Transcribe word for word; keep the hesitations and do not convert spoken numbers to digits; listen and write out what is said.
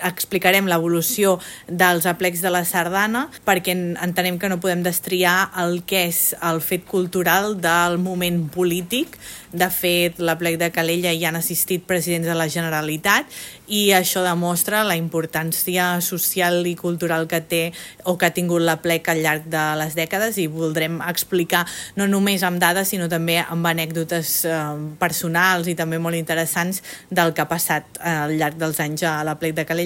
explicarem l'evolució dels aplecs de la sardana, perquè entenem que no podem destriar el que és el fet cultural del moment polític. De fet, l'aplec de Calella hi han assistit presidents de la Generalitat i això demostra la importància social i cultural que té o que ha tingut l'aplec al llarg de les dècades, i voldrem explicar no només amb dades sinó també amb anècdotes eh, personals i també molt interessants del que ha passat al llarg dels anys a l'aplec de Calella,